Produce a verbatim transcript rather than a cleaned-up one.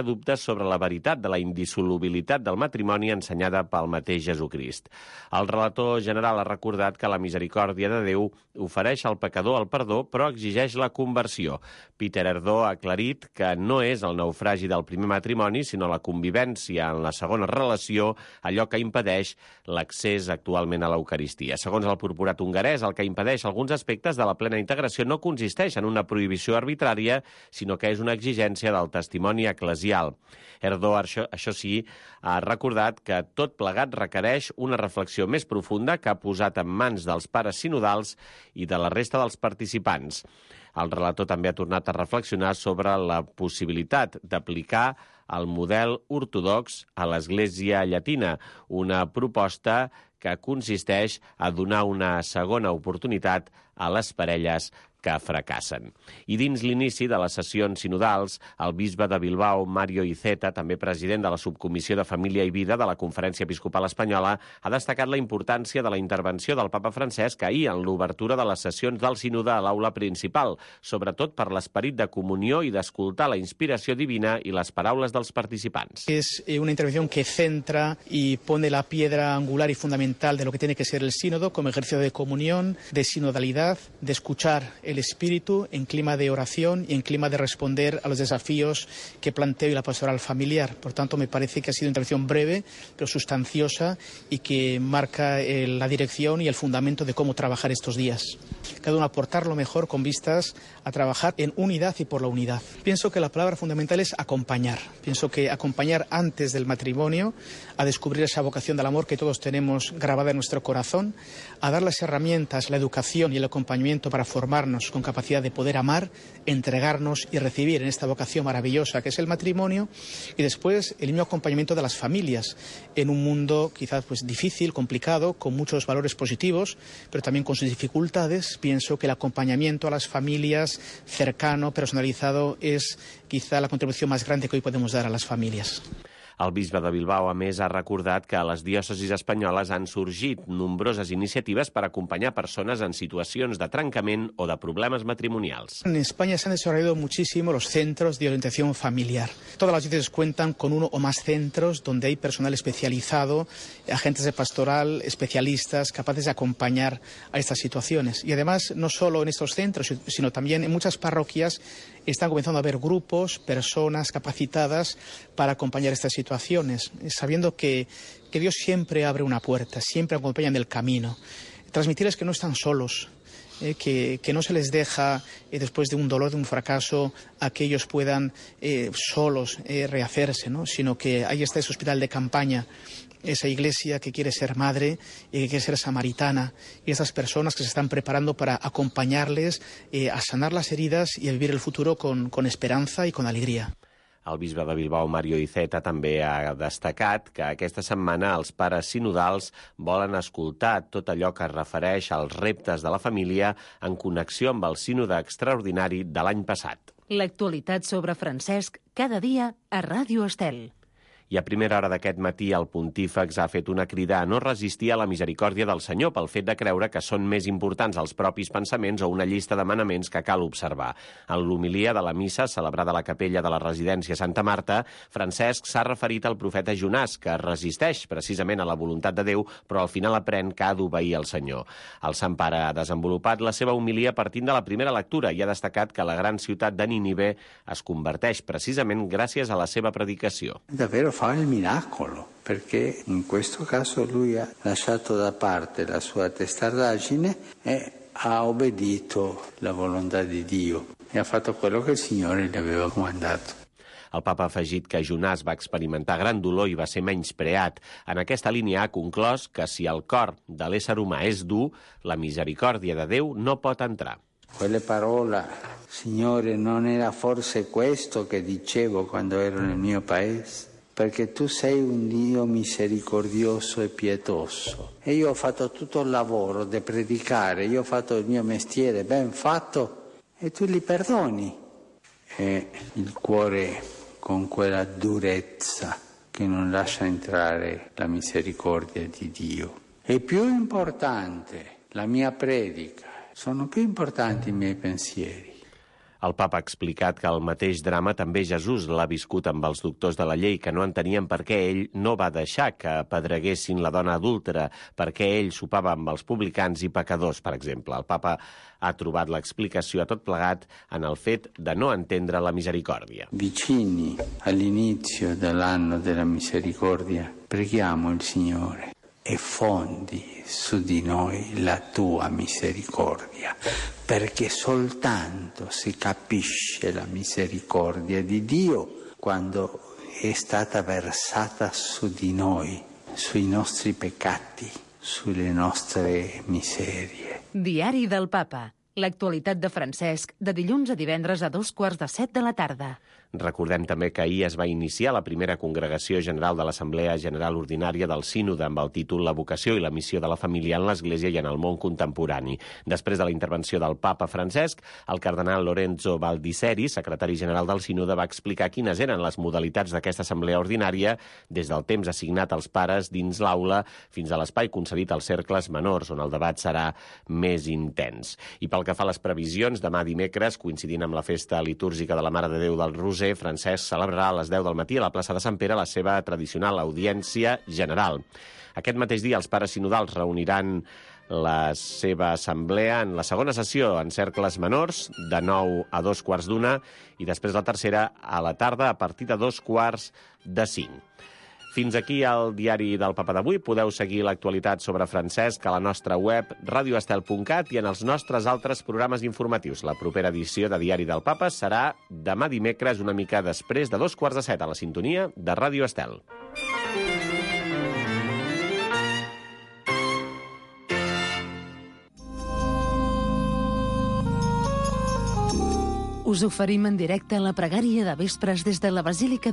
dubtes sobre la veritat de la indissolubilitat del matrimoni ensenyada pel mateix Jesucrist. El relator general ha recordat que la misericòrdia de Déu ofereix al pecador el perdó, però exigeix la conversió. Peter Erdó ha aclarit que no és el naufragi del primer matrimoni, sinó la convivència en la segona relació, allò que impedeix l'accés actualment a l'Eucaristia. Segons el purpurat hongarès, el que impedeix alguns aspectes de la plena integració no consisteix en una prohibició arbitrària, sinó que és una exigència del testimoni eclesiàstic. Erdó, això, això sí, ha recordat que tot plegat requereix una reflexió més profunda que ha posat en mans dels pares sinodals i de la resta dels participants. El relator també ha tornat a reflexionar sobre la possibilitat d'aplicar el model ortodox a l'Església Llatina, una proposta que consisteix a donar una segona oportunitat a les parelles que fracassen. I dins l'inici de les sessions sinodals, el bisbe de Bilbao, Mario Iceta, també president de la Subcomissió de Família i Vida de la Conferència Episcopal Espanyola, ha destacat la importància de la intervenció del papa Francesc ahir en l'obertura de les sessions del sínode a l'aula principal, sobretot per l'esperit de comunió i d'escoltar la inspiració divina i les paraules dels participants. Es una intervención que centra y pone la piedra angular y fundamental de lo que tiene que ser el sínodo como ejercicio de comunión, de sinodalidad, de escuchar el espíritu en clima de oración y en clima de responder a los desafíos que planteo y la pastoral familiar. Por tanto, me parece que ha sido una intervención breve, pero sustanciosa y que marca eh, la dirección y el fundamento de cómo trabajar estos días. Cada uno aportar lo mejor con vistas a trabajar en unidad y por la unidad. Pienso que la palabra fundamental es acompañar. Pienso que acompañar antes del matrimonio, a descubrir esa vocación del amor que todos tenemos grabada en nuestro corazón, a dar las herramientas, la educación y el acompañamiento para formarnos con capacidad de poder amar, entregarnos y recibir en esta vocación maravillosa que es el matrimonio, y después el mismo acompañamiento de las familias en un mundo quizás pues difícil, complicado, con muchos valores positivos, pero también con sus dificultades. Pienso que el acompañamiento a las familias cercano, personalizado, es quizá la contribución más grande que hoy podemos dar a las familias. El bisbe de Bilbao, a més, ha recordat que a les diòcesis espanyoles han sorgit nombroses iniciatives per acompanyar persones en situacions de trencament o de problemes matrimonials. En España se han desarrollado muchísimo los centros de orientación familiar. Todas las diócesis cuentan con uno o más centros donde hay personal especializado, agentes de pastoral, especialistas, capaces de acompañar a estas situaciones. Y además, no solo en estos centros, sino también en muchas parroquias están comenzando a haber grupos, personas capacitadas para acompañar estas situaciones, sabiendo que, que Dios siempre abre una puerta, siempre acompaña en el camino. Transmitirles que no están solos, eh, que, que no se les deja, eh, después de un dolor, de un fracaso, a que ellos puedan eh, solos eh, rehacerse, ¿no? Sino que ahí está ese hospital de campaña, esa iglesia que quiere ser madre y que quiere ser samaritana, y esas personas que se están preparando para acompañarles eh, a sanar las heridas y a vivir el futuro con, con esperanza y con alegría. El bisbe de Bilbao, Mario Iceta, també ha destacat que aquesta setmana els pares sinodals volen escoltar tot allò que es refereix als reptes de la família en connexió amb el sínode extraordinari de l'any passat. L'actualitat sobre Francesc cada dia a Ràdio Estel. I a primera hora d'aquest matí el pontífex ha fet una crida a no resistir a la misericòrdia del Senyor pel fet de creure que són més importants els propis pensaments o una llista de manaments que cal observar. En l'homilia de la missa celebrada a la capella de la residència Santa Marta, Francesc s'ha referit al profeta Jonàs, que resisteix precisament a la voluntat de Déu, però al final aprèn que ha d'obeir al Senyor. El Sant Pare ha desenvolupat la seva homilia partint de la primera lectura i ha destacat que la gran ciutat de Nínive es converteix precisament gràcies a la seva predicació. Davvero fa il miracolo, perché in questo caso lui ha lasciato da parte la sua testardaggine e ha obbedito la volontà di Dio e ha fatto quello che il Signore gli aveva comandato. El papa ha afegit que Jonàs va experimentar gran dolor i va ser menyspreat. En aquesta línia ha conclòs que si el cor de l'ésser humà és dur, la misericòrdia de Déu no pot entrar. Quelle parole, Signore, non era forse questo che dicevo quando ero nel mio paese? Perché tu sei un Dio misericordioso e pietoso. E io ho fatto tutto il lavoro di predicare, io ho fatto il mio mestiere ben fatto e tu li perdoni. E il cuore con quella durezza che non lascia entrare la misericordia di Dio. E più importante, la mia predica, sono più importanti i miei pensieri. El papa ha explicat que el mateix drama també Jesús l'ha viscut amb els doctors de la llei, que no entenien per què ell no va deixar que apedreguessin la dona adúltera, perquè ell sopava amb els publicans i pecadors, per exemple. El papa ha trobat l'explicació a tot plegat en el fet de no entendre la misericòrdia. Vicini all'inizio dell'anno della misericordia, preghiamo il Signore e fondi su di noi la tua misericordia, perché soltanto si capisce la misericordia di Dio quando è stata versata su di noi, sui nostri peccati, sulle nostre miserie. Diari del Papa. L'actualitat de Francesc, de dilluns a divendres a dos quarts de set de la tarda. Recordem també que ahir es va iniciar la primera congregació general de l'Assemblea General Ordinària del Sínode amb el títol La vocació i la missió de la família en l'Església i en el món contemporani. Després de la intervenció del papa Francesc, el cardenal Lorenzo Baldisseri, secretari general del Sínode, va explicar quines eren les modalitats d'aquesta assemblea ordinària des del temps assignat als pares dins l'aula fins a l'espai concedit als cercles menors, on el debat serà més intens. I pel que fa a les previsions, demà dimecres, coincidint amb la festa litúrgica de la Mare de Déu del Roser, Francesc celebrarà a les deu del matí a la plaça de Sant Pere la seva tradicional audiència general. Aquest mateix dia els pares sinodals reuniran la seva assemblea en la segona sessió en cercles menors, de nou a dos quarts d'una, i després la tercera a la tarda a partir de dos quarts de cinc. Fins aquí el diari del Papa d'avui. Podeu seguir l'actualitat sobre Francesc a la nostra web radio estel punt cat i en els nostres altres programes informatius. La propera edició de Diari del Papa serà demà dimecres, una mica després de dos quarts de set, a la sintonia de Ràdio Estel. Us oferim en directe la pregària de vespres des de la Basílica